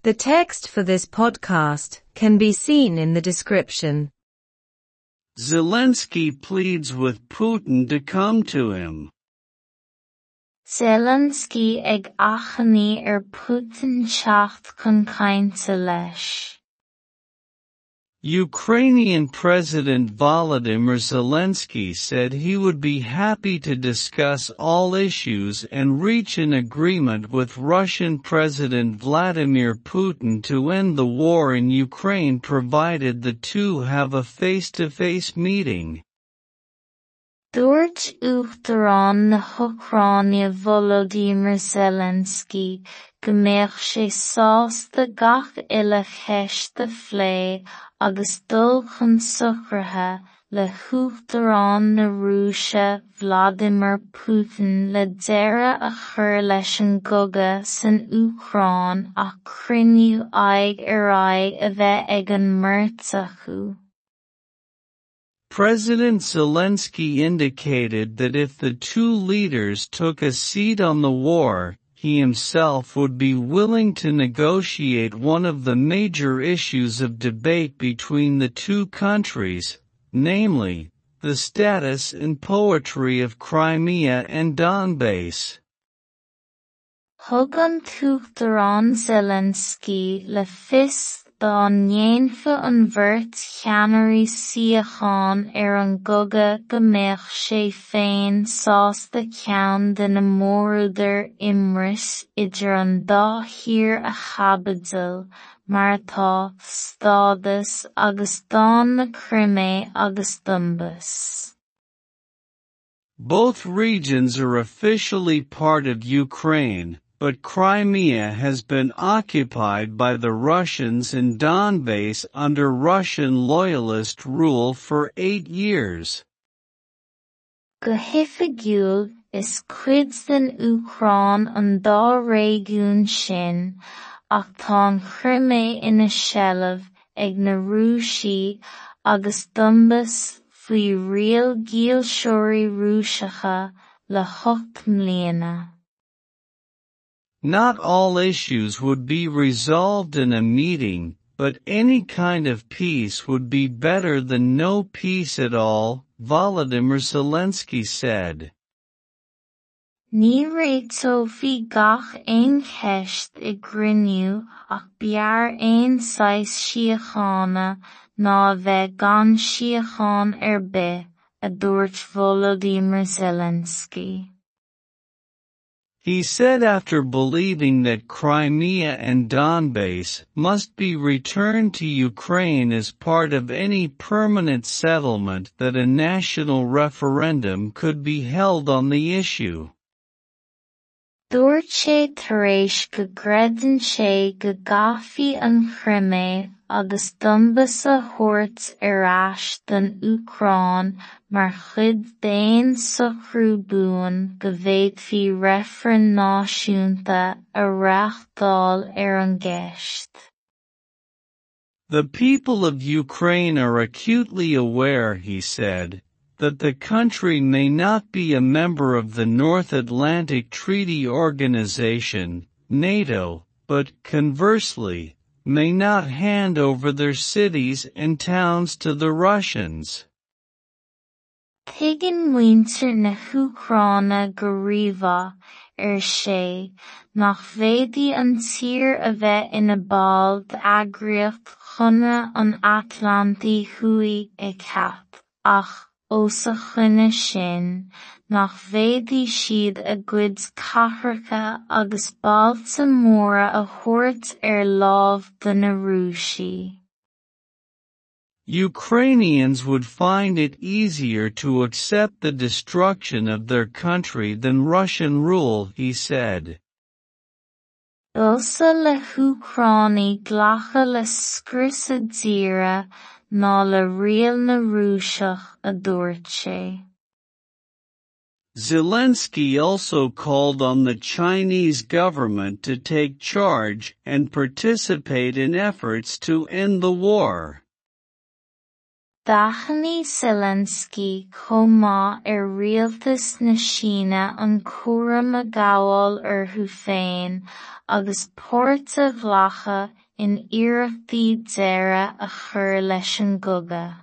The text for this podcast can be seen in the description. Zelensky pleads with Putin to come to him. Zelensky ag achainí ar Putin teacht chun cainte leis. Ukrainian President Volodymyr Zelensky said he would be happy to discuss all issues and reach an agreement with Russian President Vladimir Putin to end the war in Ukraine provided the two have a face-to-face meeting. Dúirt Uachtarán na hÚcráine Volodymyr Zelensky go mbeadh sé sásta gach uile cheist a phlé agus dul chun socraithe le hUachtarán na Rúise Vladimir Putin le deireadh a chur leis an gcogadh san Úcráin ach cruinniú aghaidh ar aghaidh a bheith ag an mbeirt acu. President Zelensky indicated that if the two leaders took a seat on the war, he himself would be willing to negotiate one of the major issues of debate between the two countries, namely, the status and poetry of Crimea and Donbass. Thug an tUachtarán Zelensky le fios dá ndéanfadh an bheirt cheannairí suíochán ar an gcogadh go mbeadh sé féin sásta ceann de na mórúdair imris idir an dá thír a chaibidil, mar atá, stádas agus dán na Crimé agus Donbas. Both regions are officially part of Ukraine, but Crimea has been occupied by the Russians and Donbass under Russian loyalist rule for 8 years. Go hoifigiúil, is cuid den Úcráin an dá réigiún sin, ach tá an Chrimé ina seilbh ag na Rúisigh agus Donbas faoi riail dílseoirí Rúiseacha le hocht mbliana. Not all issues would be resolved in a meeting, but any kind of peace would be better than no peace at all, Volodymyr Zelensky said. Ní réiteofaí gach aon cheist i gcruinniú ach b'fhearr aon saghas síochána ná a bheith gan síocháin ar bith, a dúirt Volodymyr Zelensky. He said after believing that Crimea and Donbass must be returned to Ukraine as part of any permanent settlement that a national referendum could be held on the issue. Dúirt sé tar éis go gcreideann sé go gcaithfí an Chrimé agus Donbas a thabhairt ar ais don Úcráin mar chuid d'aon socrú buan go bhféadfaí reifreann náisiúnta a reáchtáil ar an gceist. The people of Ukraine are acutely aware, he said, that the country may not be a member of the North Atlantic Treaty Organization, NATO, but, conversely, may not hand over their cities and towns to the Russians. Tuigeann muintir na hÚcráine go rímhaith, ar sé, nach bhféadfaidh an tír a bheith ina ball d'eagraíocht Chonradh an Atlantaigh Thuaidh (ECAT), ach, os a choinne sin, nach bhféadfaidh siad a gcuid cathracha agus bailte móra a thabhairt ar láimh do na Rúisigh. Ukrainians would find it easier to accept the destruction of their country than Russian rule, he said. B'fhusa le hÚcránaigh glacadh le scrios a dtíre ná le riail na Rúiseach, a dúirt sé. Zelensky also called on the Chinese government to take charge and participate in efforts to end the war. D'achainigh Zelensky chomh maith ar rialtas na Síne an cúram a ghabháil orthu féin agus páirt a ghlacadh in iarrachtaí deireadh a chur leis an gcogadh.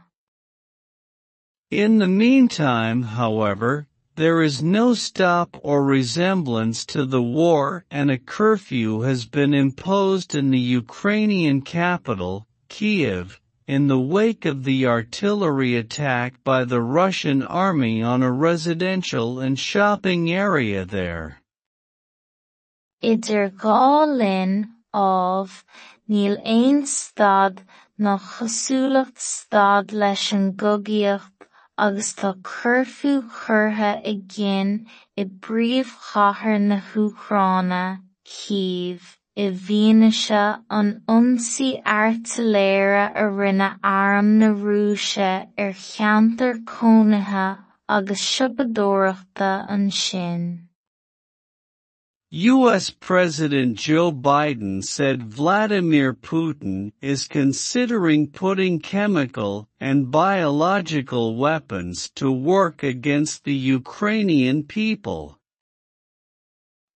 In the meantime, however, there is no stop or resemblance to the war and a curfew has been imposed in the Ukrainian capital, Kiev, in the wake of the artillery attack by the Russian army on a residential and shopping area there. Idir dhá linn, ámh, níl aon stad ná cosúlacht stad leis an gcogaíocht agus tá cuirfiú curtha i gcinn i bpríomhchathair na hÚcráine, Cív, i bhfianaise an ionsaí airtléire a rinne Arm na Rúise ar cheantar cónaithe agus siopadóireachta ansin. U.S. President Joe Biden said Vladimir Putin is considering putting chemical and biological weapons to work against the Ukrainian people.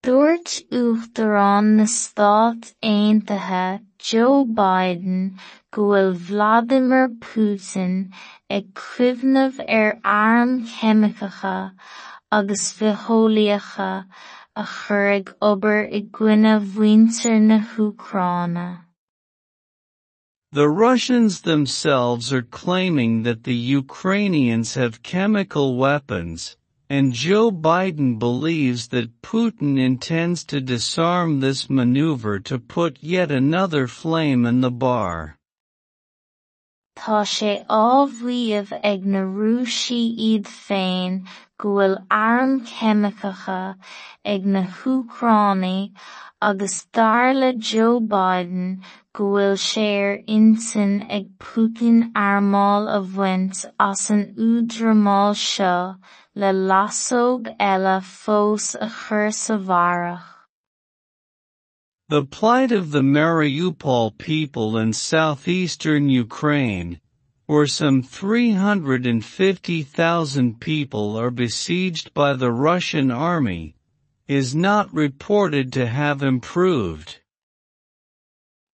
Dúirt Uachtarán na Stát Aontaithe Joe Biden go bhfuil Vladimir Putin ag cuimhneamh ar airm cheimiceacha agus bhitheolaíocha a chur ag obair i gcoinne mhuintir na hÚcráine. The Russians themselves are claiming that the Ukrainians have chemical weapons, and Joe Biden believes that Putin intends to disarm this maneuver to put yet another flame in the bar. Tá sé á mhaíomh ag na Rúisigh iad féin go bhfuil airm cheimiceacha ag na hÚcránaigh agus dar le Joe Biden go bhfuil sé ar intinn ag Putin armáil a bhaint as an údrámáil seo le lasóg eile fós a chur sa bharrach. The plight of the Mariupol people in southeastern Ukraine, where some 350,000 people are besieged by the Russian army, is not reported to have improved.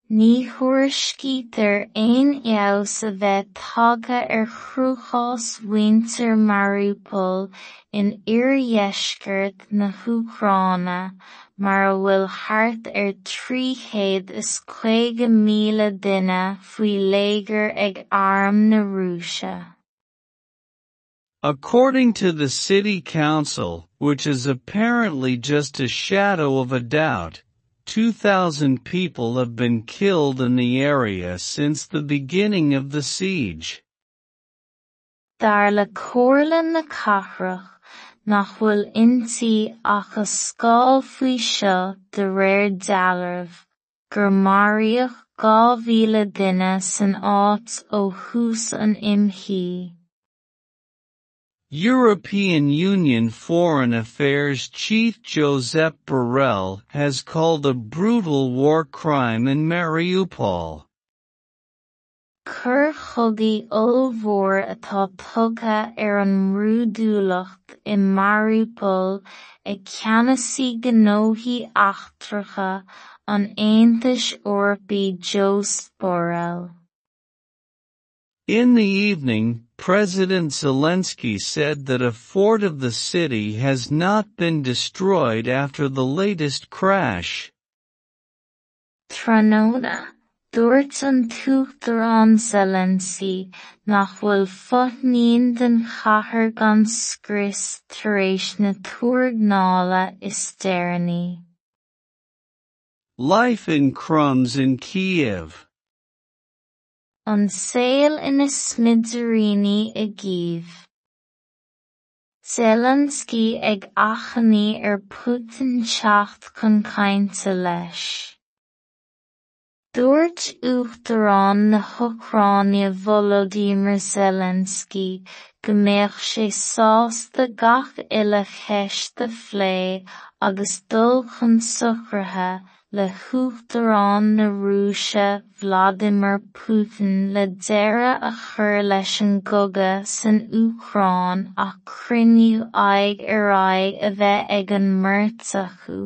Ní thuairiscítear aon fheabhas a bheith tagtha ar chruachás mhuintir Mariupol in oirdheisceart na hÚcráine mar a bhfuil thart ar 350,000 duine faoi léigear ag Arm na Rúise. According to the city council, which is apparently just a shadow of a doubt, 2,000 people have been killed in the area since the beginning of the siege. Dar le Comhairle na Cathrach nach bhfuil inti ach a scáil faoi seo de réir dealraimh, gur maraíodh 2,000 duine san áit ó thús an imshuí. European Union Foreign Affairs Chief Josep Borrell has called a brutal war crime in Mariupol. Coir chogaidh ollmhór atá tugtha ar an mbrúidiúlacht i Mariupol ag ceannasaí gnóthaí eachtracha an Aontais Eorpaigh Josep Borrell. In the evening, President Zelensky said that a fort of the city has not been destroyed after the latest crash. Tráthnóna, dúirt an tUachtarán Zelensky nach bhfuil fothain den chathair gan scrios tar éis na tuarganála is deireanaí. Life in crumbs in Kiev. An saol ina smidiríní i gCív. Zelensky ag achainí ar Putin teacht chun cainte leis. Dúirt Uachtarán na hÚcráine Volodymyr Zelensky go mbeadh sé sásta gach uile cheist a phlé agus dul chun socruithe le hUachtarán na Rúise Vladimir Putin le deireadh a chur leis an gcogadh san Úcráin ach cruinniú aghaidh ar aghaidh a bheith ag an mbeirt acu.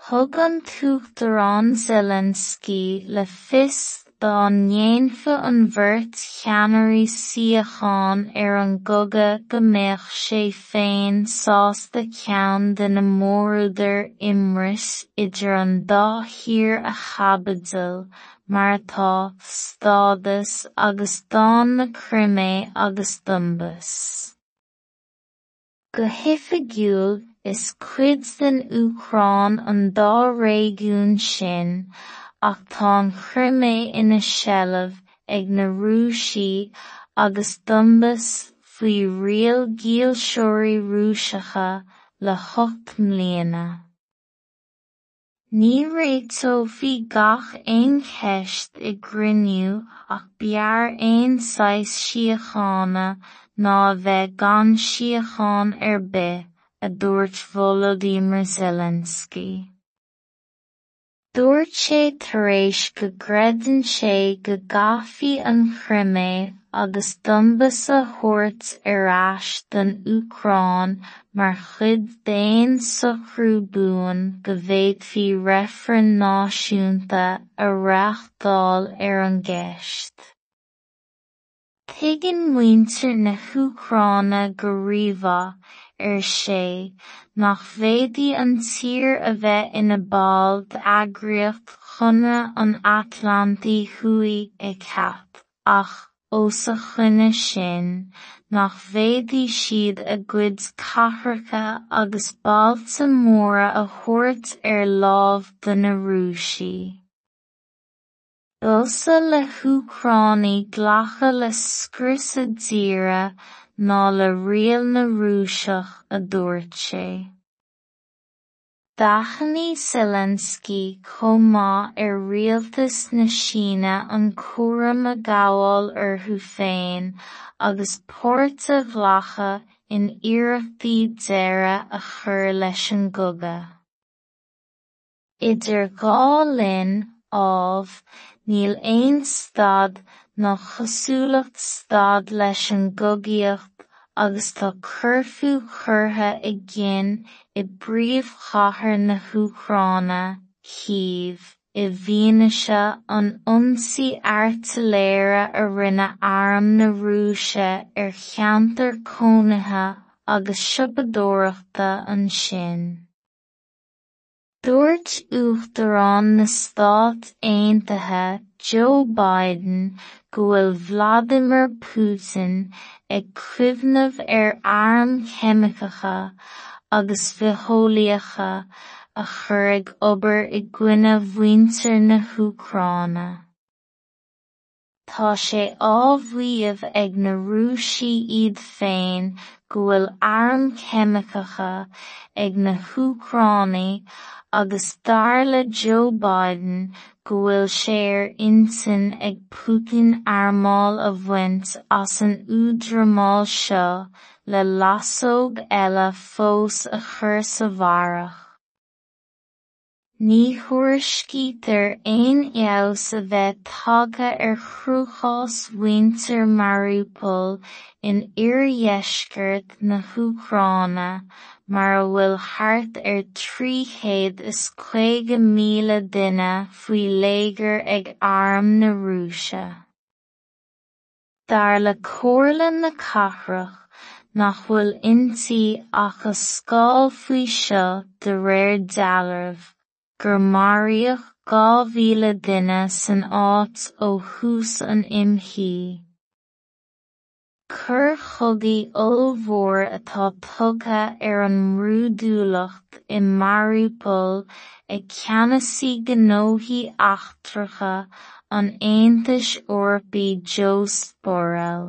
Thug an tUachtarán Zelensky le fios dá ndéanfadh an bheirt cheannairí suíochán ar an gcogadh go mbeadh sé féin sásta ceann de na mórúdair imris idir an dá thír a chaibidil, mar atá, stádas agus dán na Crimé agus Donbas. Go hoifigiúil, is cuid den Úcráin an dá réigiún sin, ach tá an Chrimé ina seilbh ag na Rúisigh agus Donbas faoi riail dhílseoirí Rúiseacha le hocht mbliana. Ní réiteofaí gach aon cheist i gcruinniú ach b'fhearr aon saghas síochána ná a bheith gan síocháin ar bith, a dúirt Volodymyr Zelensky. Dúirt sé tar éis go gcreideann sé go gcaithfí an Chrimé agus Donbas a thabhairt ar ais don Úcráin mar chuid d'aon socrú buan go bhféadfaí reifreann náisiúnta a reáchtáil ar an gceist. Tuigeann muintir na hÚcráine go rímhaith, ar sé, nach bhféadfaidh an tír a bheith ina ball d'eagraíocht Chonradh an Atlantaigh Thuaidh (ECAT) ach, os a choinne sin, nach bhféadfaidh siad a gcuid cathracha agus bailte móra a thabhairt ar láimh do na Rúisigh. B'fhusa le hÚcránaigh glacadh le scrios a dtíre ná le riail na Rúiseach, a dúirt sé. D'achainigh Zelensky chomh maith ar rialtas na Síne an cúram a ghabháil orthu féin agus páirt a ghlacadh in iarrachtaí deireadh a chur leis an gcogadh. Idir dhá linn, ámh, níl aon stad ná cosúlacht stad leis an gcogaíocht agus tá cuirfiú curtha i gcinn i bpríomhchathair na hÚcráine, Cív, i bhfianaise an ionsaí airtléire a rinne Arm na Rúise ar cheantar cónaithe agus siopadóireachta ansin. Dúirt Uachtarán na Stát Aontaithe Joe Biden go bhfuil Vladimir Putin ag cuimhneamh ar airm cheimiceacha agus bhitheolaíocha a chur ag obair i gcoinne mhuintir na hÚcráine. Tá sé á mhaíomh ag na Rúisigh iad féin go bhfuil airm cheimiceacha ag na hÚcránaigh agus dar le Joe Biden go bhfuil sé ar intinn ag Putin armáil a bhaint as an údrámáil seo le lasóg eile fós a chur sa bharrach. Ní thuairiscítear aon fheabhas a bheith tagtha ar chruachás mhuintir Mariupol in oirdheisceart na hÚcráine, mar a bhfuil thart ar trí chéad is caoga míle duine faoi léigear ag Arm na Rúise. Dar le Comhairle na Cathrach, nach bhfuil inti ach a scáil faoi seo de réir dealraimh, gur maraíodh dhá mhíle duine san áit ó thús an imshuí. Coir chogaidh ollmhór atá tugtha ar an mbrúidiúlacht i Mariupol ag ceannasaí gnóthaí eachtracha an Aontais Eorpaigh Josep Borrell.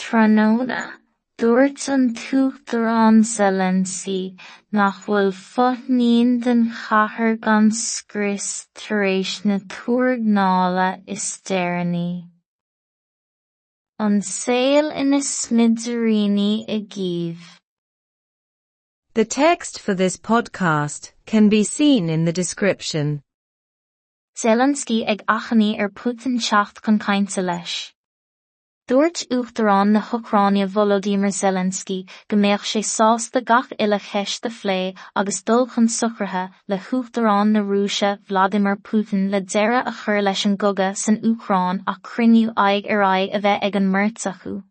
Tráthnóna, dúirt an tUachtarán Zelensky nach bhfuil fothain den chathair gan scrios tar éis na tuairgneála is deireanaí. An saol ina smidiríní i gCív. The text for this podcast can be seen in the description. Zelensky ag achainí ar Putin teacht chun cainte leis. Dúirt Uachtarán na hÚcráine Volodymyr Zelensky go mbeadh sé sásta gach uile cheist a phlé agus dul chun socruithe le hUachtarán na Rúise Vladimir Putin le deireadh a chur leis an gcogadh san Úcráin ach cruinniú aghaidh ar aghaidh a bheith ag an mbeirt acu.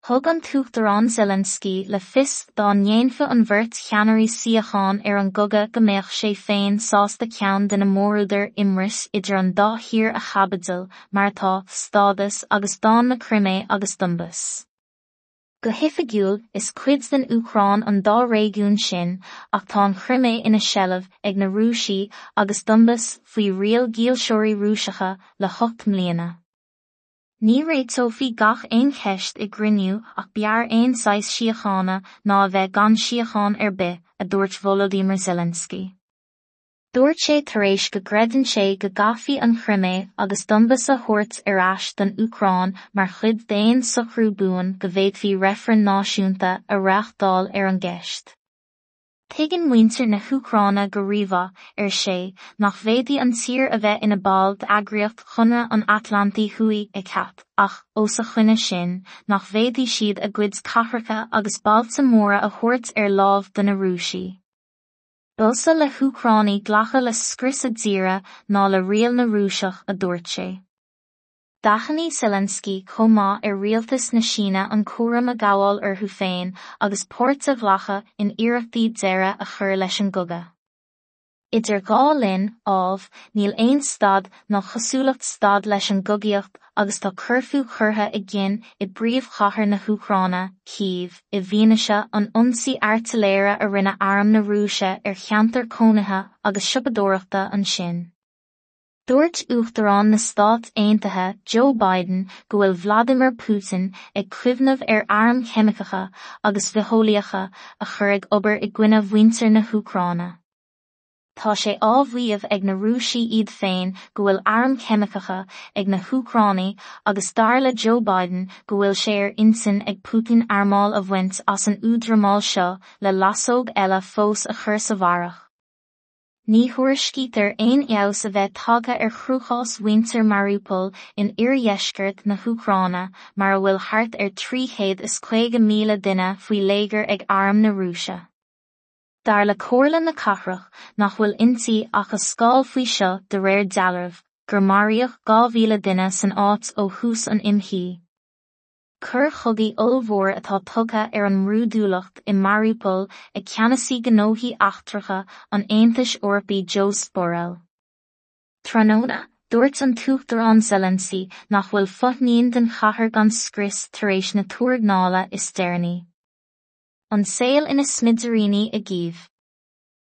Thug an tUachtarán Zelensky le fios dá ndéanfadh an bheirt cheannairí síocháin ar an gcogadh go mbeadh sé féin sásta ceann de na mórúdair imris idir an dá thír a chaibidil, mar atá, stádas agus dán na Crimé agus Donbas. Go hoifigiúil, is cuid den Úcráin an dá réigiún sin, ach tá an Chrimé ina seilbh ag na Rúisigh agus Donbas faoi riail dhílseoirí Rúiseacha le hocht mbliana. Ní réiteofaí gach aon cheist i gcruinniú ach b'fhearr aon saghas síochána ná a bheith gan síocháin ar bith, a dúirt Volodymyr Zelensky. Dúirt sé tar éis go gcreideann sé go gcaithfí an Chrimé agus Donbas a thabhairt ar ais don Úcráin mar chuid d'aon socrú buan go bhféadfaí reifreann náisiúnta a reáchtáil ar an gceist. Tuigeann muintir na hÚcráine go rímhaith, ar sé, nach bhféadfaidh an tír a bheith ina ball d'eagraíocht Chonradh an Atlantaigh Thuaidh, ECAT, ach, os a choinne sin, nach bhféadfaidh siad a gcuid cathracha agus bailte móra a thabhairt ar láimh do na Rúisigh. B'fhusa le hÚcránaigh glacadh le scrios a dtíre ná le riail na Rúiseach, a dúirt sé. D'achainigh Zelensky chomh maith ar rialtas na Síne an cúram a ghabháil orthu féin agus páirt a ghlacadh in iarrachtaí deireadh a chur leis an gcogadh. Idir dhá linn, ámh, níl aon stad ná cosúlacht stad leis an gcogaíocht agus tá cuirfiú curtha i gcinn i bpríomhchathair na hÚcráine, Cív, i bhfianaise an ionsaí airtiléire a rinne arm na Rúise ar cheantar cónaithe agus siopadóireachta ansin. Dúirt Uachtarán na Stát Aontaithe Joe Biden go bhfuil Vladimir Putin ag cuimhneamh ar airm cheimiceacha agus bhitheolaíocha a chur ag obair i gcoinne mhuintir na hÚcráine. Tá sé á mhaíomh ag na Rúisigh iad féin go bhfuil airm cheimiceacha ag na hÚcránaigh agus dar le Joe Biden go bhfuil sé ar intinn ag Putin armáil a bhaint as an údramál seo le lasóg eile fós a chur sa bharrach. Ní thuairiscítear aon fheabhas a bheith tagtha ar chruachás mhuintir Mariupol in oirdheisceart na hÚcráine mar a bhfuil thart ar 350,000 duine faoi léigear ag arm na Rúise. Dar le Comhairle na Cathrach, nach bhfuil inti ach a scáil faoi seo de réir dealraimh, gur maraíodh 2,000 duine san áit ó thús an imshuí. Coir chogaidh ollmhór atá tugtha ar an mbrúidiúlacht i Mariupol ag ceannasaí gnóthaí eachtracha an Aontais Eorpaigh Josep Borrell. Tráthnóna, dúirt an tUachtarán Zelensky nach bhfuil fothain den chathair gan scrios tar éis na tuargnála is deireanaí. An saol ina smidiríní i gCív.